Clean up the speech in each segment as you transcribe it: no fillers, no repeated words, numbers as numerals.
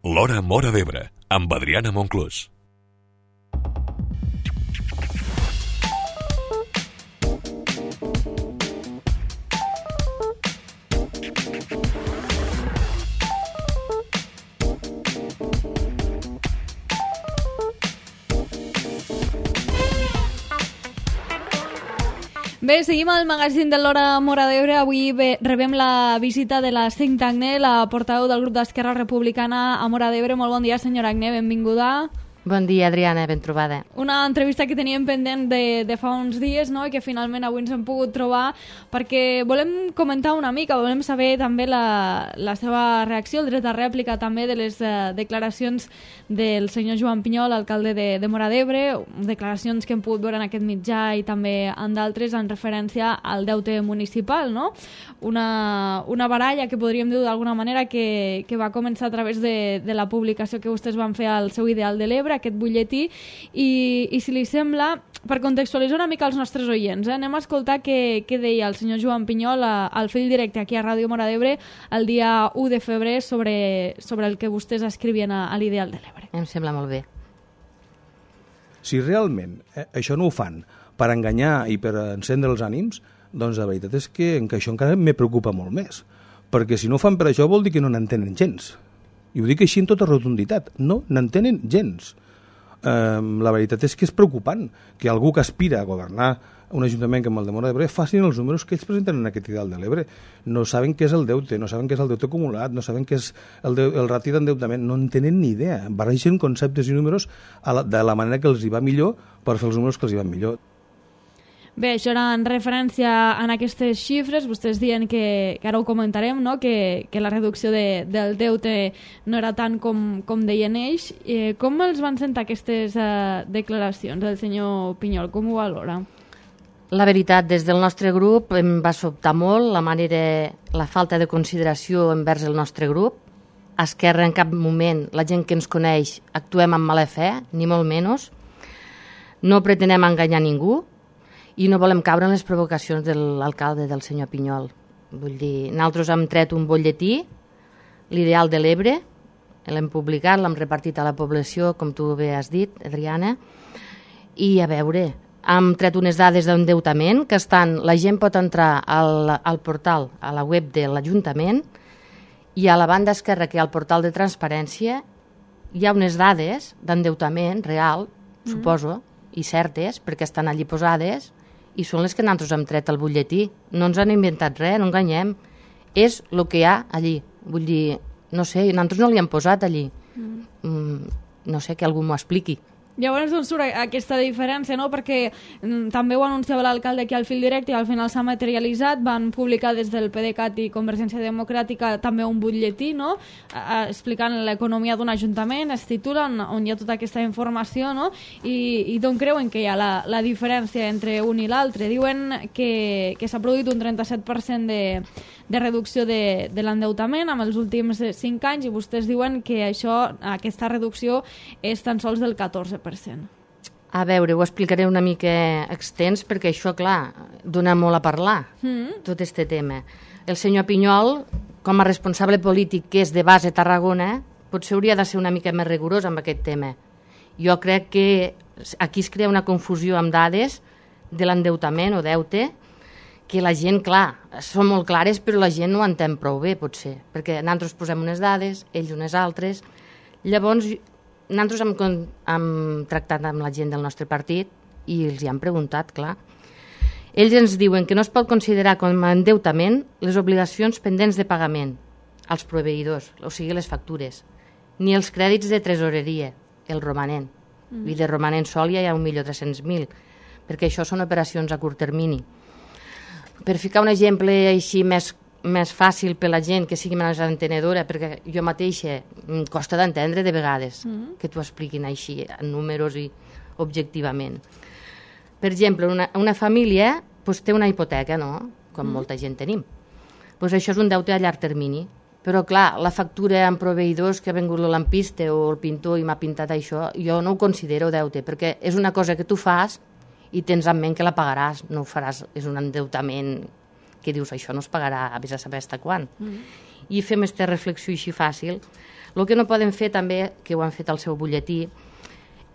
L'Hora Móra d'Ebre, amb Adriana Monclús. Bé, seguim al magazín de l'Hora Móra d'Ebre. Avui rebem la visita de la Cinc Agné, la portaveu del grup d'Esquerra Republicana a Móra d'Ebre. Molt bon dia, senyora Agné, benvinguda. Bon dia, Adriana, ben trobada. Una entrevista que teníem pendent de fa uns dies, no?, i que finalment avui ens hem pogut trobar, perquè volem comentar una mica, volem saber també la seva reacció, el dret a rèplica també de les declaracions del senyor Joan Pinyol, alcalde de Móra d'Ebre, declaracions que hem pogut veure en aquest mitjà i també en d'altres en referència al deute municipal, no? Una baralla que podríem dir d'alguna manera que va començar a través de la publicació que vostès van fer al seu Ideal de l'Ebre, aquest butlletí, i si li sembla, per contextualitzar una mica els nostres oients, anem a escoltar què deia el senyor Joan Pinyol al fil directe aquí a Ràdio Móra d'Ebre el dia 1 de febrer sobre el que vostès escrivien a l'Ideal de l'Ebre. Em sembla molt bé. Si realment això no ho fan per enganyar i per encendre els ànims, doncs la veritat és que això encara me preocupa molt més, perquè si no ho fan per això vol dir que no n'entenen gens. I ho dic així amb tota rotunditat, no n'entenen gens. La veritat és que és preocupant que algú que aspira a governar un ajuntament com el de Móra d'Ebre facin els números que ells presenten en aquest Ideal de l'Ebre. No saben què és el deute, no saben què és el deute acumulat, no saben què és el rati d'endeutament, no en tenen ni idea. Barregen conceptes i números de la manera que els hi va millor per fer els números que els hi van millor. Bé, això era en referència a aquestes xifres. Vostès diuen que ara ho comentarem, no?, que la reducció del deute no era tant com deien ells. Com els van sentar aquestes declaracions del senyor Pinyol? Com ho valora? La veritat, des del nostre grup em va sobtar molt la falta de consideració envers el nostre grup. A Esquerra en cap moment, la gent que ens coneix, actuem amb mala fe, ni molt menys. No pretenem enganyar ningú i no volem caure en les provocacions de l'alcalde, del senyor Pinyol. Vull dir, nosaltres hem tret un butlletí, l'Ideal de l'Ebre, l'hem publicat, l'hem repartit a la població, com tu bé has dit, Adriana, i a veure, hem tret unes dades d'endeutament que la gent pot entrar al portal, a la web de l'Ajuntament, i a la banda esquerra, que hi ha el portal de transparència, hi ha unes dades d'endeutament real, suposo, i certes, perquè estan allí posades, i són les que nosaltres hem tret al butlletí. No ens han inventat res, no enganyem. És el que hi ha allí. Vull dir, no sé, nosaltres no li hem posat allí. No sé, que algú m'ho expliqui. Llavors doncs surt aquesta diferència, no?, perquè també ho anunciava l'alcalde aquí al fil directe i al final s'ha materialitzat. Van publicar des del PDeCAT i Convergència Democràtica també un butlletí, no?, explicant l'economia d'un ajuntament, es titula, on hi ha tota aquesta informació, no?, i d'on creuen que hi ha la diferència entre un i l'altre. Diuen que s'ha produït un 37% de reducció de l'endeutament en els últims 5 anys i vostès diuen que aquesta reducció és tan sols del 14%. A veure, ho explicaré una mica extens perquè això, clar, dona molt a parlar, tot este tema. El senyor Pinyol, com a responsable polític que és de base Tarragona, potser hauria de ser una mica més rigorós amb aquest tema. Jo crec que aquí es crea una confusió amb dades de l'endeutament o deute, que la gent, clar, són molt clares, però la gent no ho entén prou bé, potser, perquè nosaltres posem unes dades, ells unes altres. Llavors, nosaltres hem tractat amb la gent del nostre partit i els hi han preguntat, clar. Ells ens diuen que no es pot considerar com a endeutament les obligacions pendents de pagament als proveïdors, o sigui, les factures, ni els crèdits de tresoreria, el romanent. I de romanent sol ja hi ha 1.300.000, perquè això són operacions a curt termini. Per ficar un exemple així més fàcil per la gent que sigui més entenedora, perquè jo mateixa em costa d'entendre de vegades que t'ho expliquin així en números i objectivament. Per exemple, una família té una hipoteca, no?, com molta gent tenim. Això és un deute a llarg termini, però clar, la factura amb proveïdors que ha vengut el lampista o el pintor i m'ha pintat això, jo no ho considero deute, perquè és una cosa que tu fas i tens en ment que la pagaràs, no ho faràs, és un endeutament que dius, això no es pagarà a vés a saber fins quan. I fem aquesta reflexió així fàcil. El que no poden fer també, que ho han fet al seu butlletí,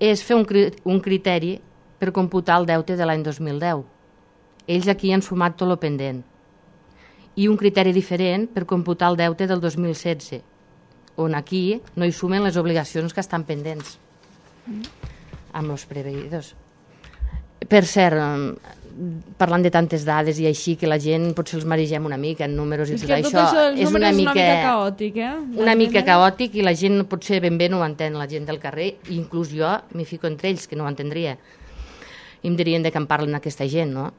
és fer un criteri per computar el deute de l'any 2010. Ells aquí han sumat tot el pendent. I un criteri diferent per computar el deute del 2016, on aquí no hi sumen les obligacions que estan pendents amb els preveïdors. Per cert, parlant de tantes dades i així, que la gent potser els maregem una mica en números i tot això, és una mica caòtic, una mica caòtic, i la gent potser ben bé no ho entén, la gent del carrer, i inclús jo m'hi fico entre ells, que no ho entendria. I em dirien de què en parlen aquesta gent, no?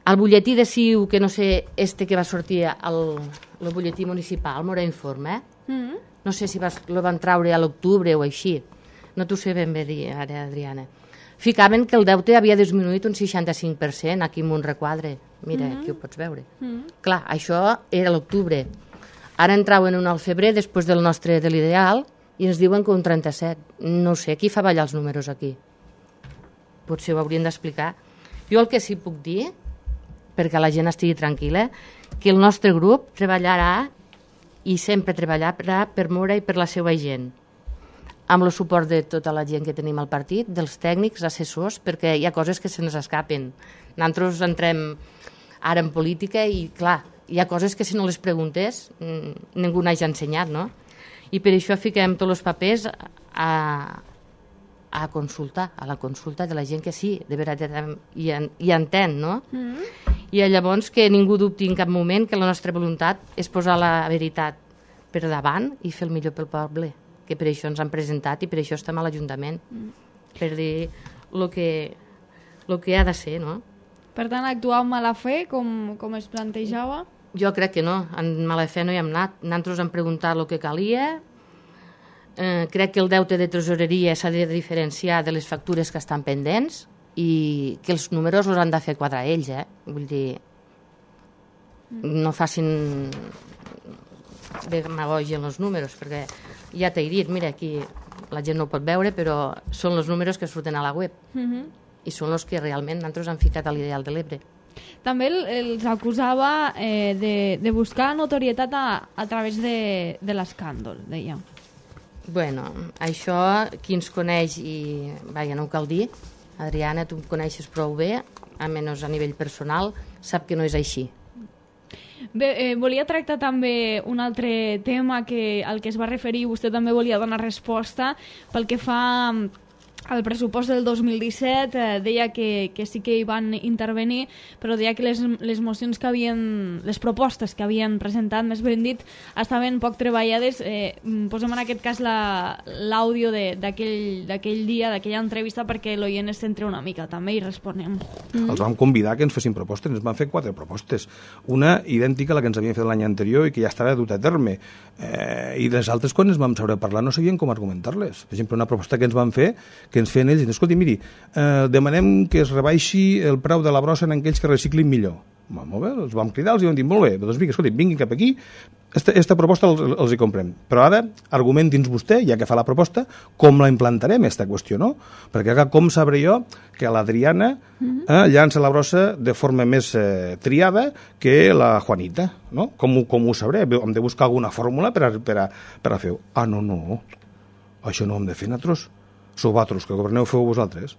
El butlletí de CiU, que no sé, que va sortir al butlletí municipal, Mora Informe, no sé si lo van traure a l'octubre o així, no t'ho sé ben bé dir ara, Adriana. Ficaven que el deute havia disminuït un 65% aquí en un requadre. Mira, aquí ho pots veure. Clar, això era l'octubre. Ara entraven un al febrer, després del nostre de l'ideal, i ens diuen que un 37. No sé, qui fa ballar els números aquí? Potser ho haurien d'explicar. Jo el que sí puc dir, perquè la gent estigui tranquil·la, que el nostre grup treballarà i sempre treballarà per Mora i per la seva gent, amb el suport de tota la gent que tenim al partit, dels tècnics, assessors, perquè hi ha coses que se'ns escapen. Nosaltres entrem ara en política i, clar, hi ha coses que si no les preguntes ningú n'hagi ensenyat, no? I per això fiquem tots els papers a consultar, a la consulta de la gent que sí, de veritat hi entén, no? I llavors que ningú dubti en cap moment que la nostra voluntat és posar la veritat per davant i fer el millor pel poble, que per això ens han presentat i per això estem a l'Ajuntament, per dir el que ha de ser, no? Per tant, actuar amb mala fe, com es plantejava? Jo crec que no, en mala fe no hi hem anat. Nosaltres hem preguntat el que calia, crec que el deute de tresoreria s'ha de diferenciar de les factures que estan pendents i que els números els han de fer quadrar ells, vull dir, no facin demagogia en els números, perquè ja t'he dit, mira, aquí la gent no ho pot veure, però són els números que surten a la web i són els que realment nosaltres han ficat a l'ideal de l'Ebre. També els acusava de buscar notorietat a través de l'escàndol, deia. Bueno, això, qui ens coneix, i vaja, no ho cal dir, Adriana, tu em coneixes prou bé, almenys a nivell personal, sap que no és així. Bé, volia tractar també un altre tema al que es va referir, vostè també volia donar resposta pel que fa al pressupost del 2017, deia que sí que hi van intervenir, però deia que les mocions les propostes que havien presentat, més ben dit, estaven poc treballades. Posem en aquest cas l'àudio d'aquell dia, d'aquella entrevista, perquè l'oient es centra una mica també i responem. Els vam convidar que ens fessin propostes, ens van fer 4 propostes. Una idèntica a la que ens havien fet l'any anterior i que ja estava dut a terme. I les altres, quan ens vam saber parlar, no sabien com argumentar-les. Per exemple, una proposta que ens van fer, que ens feien ells, escolti, miri, demanem que es rebaixi el preu de la brossa en aquells que reciclin millor. Molt bé, els vam cridar, els vam dir, molt bé, doncs vinga, escolti, vinguin cap aquí, esta proposta els hi comprem. Però ara, argumenti'ns vostè, ja que fa la proposta, com la implantarem, aquesta qüestió, no? Perquè com sabré jo que l'Adriana llança la brossa de forma més triada que la Juanita, no? Com ho sabré? Hem de buscar alguna fórmula per a fer-ho. Ah, no, això no ho hem de fer nosaltres. Sou vosaltres, que governeu, feu vosaltres.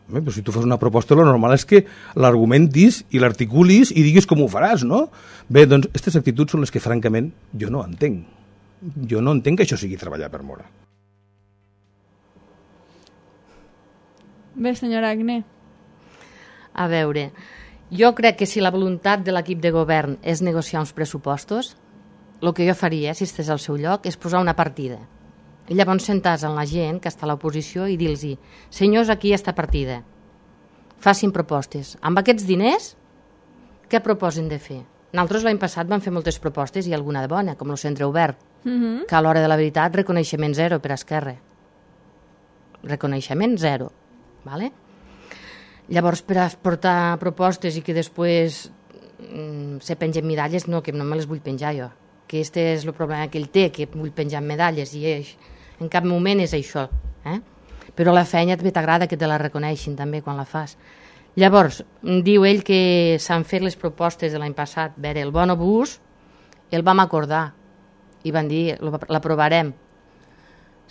Però si tu fas una proposta, el normal és que l'argumentis i l'articulis i diguis com ho faràs, no? Bé, doncs, aquestes actituds són les que, francament, jo no entenc. Jo no entenc que això sigui treballar per Mora. Bé, senyora Agné. A veure, jo crec que si la voluntat de l'equip de govern és negociar uns pressupostos, el que jo faria, si estigués al seu lloc, és posar una partida. I llavors sentars amb la gent que està a l'oposició i dir-los, senyors, aquí hi ha esta partida, facin propostes. Amb aquests diners, què proposen de fer? Nosaltres l'any passat vam fer moltes propostes i alguna de bona, com el centre obert, que a l'hora de la veritat reconeixement 0 per a Esquerra. Reconeixement 0. Vale? Llavors, per a portar propostes i que després se pengen medalles, no, que no me les vull penjar jo. Que este és el problema que ell té, que vull penjar medalles i en cap moment és això. Però la feina també t'agrada que te la reconeixin també quan la fas. Llavors, diu ell que s'han fet les propostes de l'any passat. A veure, el bonobús el vam acordar i van dir l'aprovarem.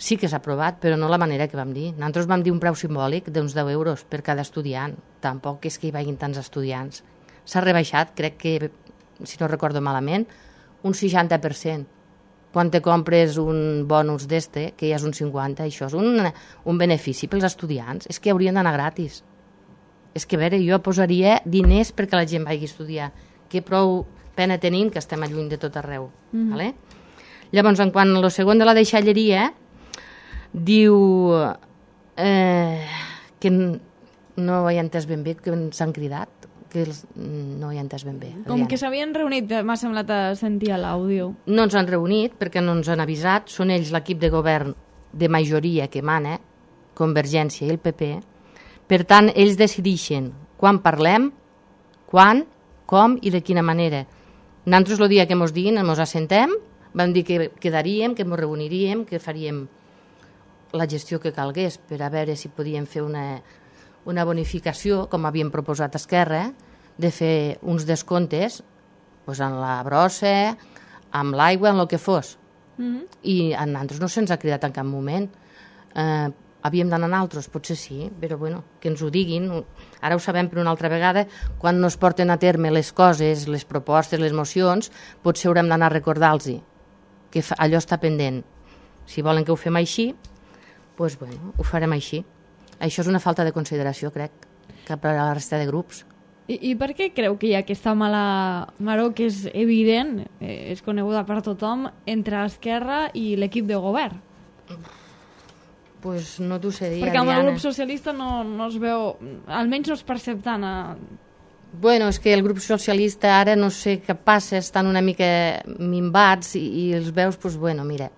Sí que s'ha aprovat, però no la manera que vam dir. Nosaltres vam dir un preu simbòlic d'uns 10 euros per cada estudiant. Tampoc és que hi vagin tants estudiants. S'ha rebaixat, crec que, si no recordo malament, un 60%. Quan te compres un bonus d'este, que ja és un 50%, això és un benefici pels estudiants. És que haurien d'anar gratis. És que, a veure, jo posaria diners perquè la gent vagi a estudiar. Que prou pena tenim que estem lluny de tot arreu. Vale? Llavors, en quant a lo segon de la deixalleria, diu que no ho he entès ben bé, que s'han cridat, que no ho he entès ben bé. Com que s'havien reunit, m'ha semblat sentir a l'àudio. No ens han reunit perquè no ens han avisat, són ells l'equip de govern de majoria que mana, Convergència i el PP, per tant, ells decideixen quan parlem, quan, com i de quina manera. Nosaltres el dia que ens diguin, ens assentem, vam dir que quedaríem, que ens reuniríem, que faríem la gestió que calgués per a veure si podíem fer una bonificació, com havíem proposat a Esquerra, de fer uns descomptes doncs en la brossa, amb l'aigua, en el que fos. I a nosaltres no se'ns ha cridat en cap moment. Havíem d'anar a altres, potser sí, però bueno, que ens ho diguin. Ara ho sabem per una altra vegada, quan no es porten a terme les coses, les propostes, les mocions, potser haurem d'anar a recordar-los que allò està pendent. Si volen que ho fem així, doncs bueno, ho farem així. Això és una falta de consideració, crec, cap a la resta de grups. I per què creu que hi ha aquesta mala maror que és evident, és coneguda per tothom, entre Esquerra i l'equip de govern? Pues no t'ho sé dir, perquè amb el grup socialista no es veu, almenys no es percep tant. Bueno, és que el grup socialista ara no sé què passa, estan una mica minvats i els veus, doncs bueno, mira,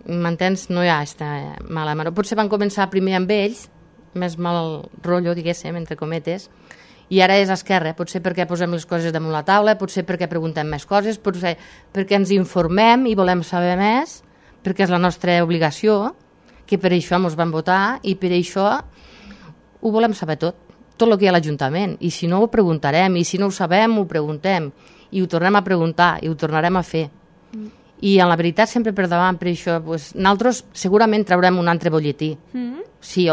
m'entens? No hi ha aquesta mala maror. Potser van començar primer amb ells, més mal rotllo, diguéssim, entre cometes, i ara és Esquerra, potser perquè posem les coses damunt la taula, potser perquè preguntem més coses, potser perquè ens informem i volem saber més, perquè és la nostra obligació, que per això ens van votar i per això ho volem saber tot el que hi ha a l'Ajuntament, i si no ho preguntarem, i si no ho sabem ho preguntem, i ho tornem a preguntar, i ho tornarem a fer. I en la veritat sempre per davant, per això, pues, nosaltres segurament traurem un altre butlletí. Sí,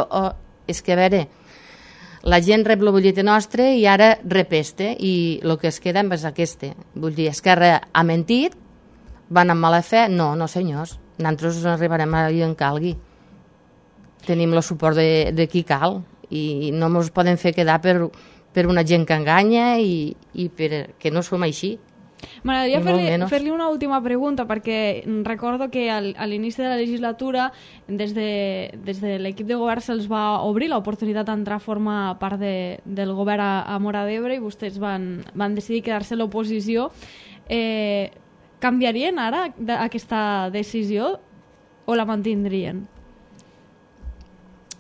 és que a veure, la gent rep el butlletí nostre i ara rep este, i el que es queda és este. Vull dir, Esquerra ha mentit, van amb mala fe? No, senyors, nosaltres arribarem allà on calgui. Tenim el suport de qui cal i no ens poden fer quedar per una gent que enganya i que no som així. M'agradaria fer-li una última pregunta, perquè recordo que a l'inici de la legislatura des de l'equip de govern se'ls va obrir l'oportunitat d'entrar a formar part del govern a Móra d'Ebre i vostès van decidir quedar-se a l'oposició. Canviarien ara aquesta decisió o la mantindrien?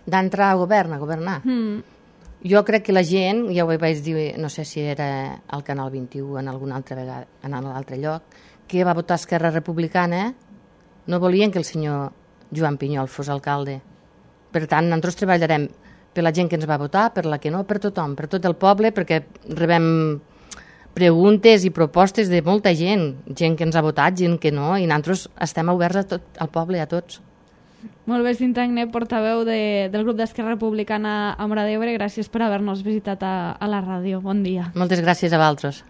D'entrar a governar? Jo crec que la gent, ja ho vaig dir, no sé si era al Canal 21 en alguna altra vegada, en un altre lloc, que va votar Esquerra Republicana, no volien que el senyor Joan Pinyol fos alcalde. Per tant, nosaltres treballarem per la gent que ens va votar, per la que no, per tothom, per tot el poble, perquè rebem preguntes i propostes de molta gent que ens ha votat, gent que no, i nosaltres estem oberts a tot el poble, a tots. Molt bé, Cinta Agné, portaveu del grup d'Esquerra Republicana a Móra d'Ebre, gràcies per haver-nos visitat a la ràdio. Bon dia. Moltes gràcies a vosaltres.